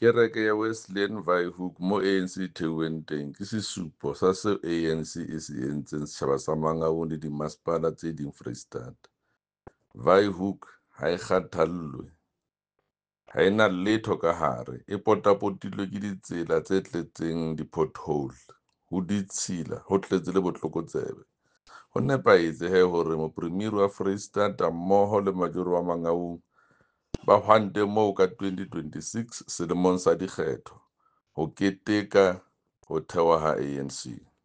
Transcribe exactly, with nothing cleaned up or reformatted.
Kereke ya Wesleyan Waaihoek moo A N C e theuweng teng ke sesupo sa seo A N C e se entseng setjhaba sa Mangaung le dimasepala tse ding Foreisetata. Waaihoek ha e kgathallwe, ha e na letho ka hare, e potapotilwe ke ditsela tse tletseng di-pothole, ho ditshila, ho tletse le botlokotsebe. Ho nepahetse he hore Mopremiri wa Foreisetata mmoho le majoro wa Mangaung ba hwante moo ka twenty twenty-six selemong sa dikgetho ho keteka ho thewa ha A N C.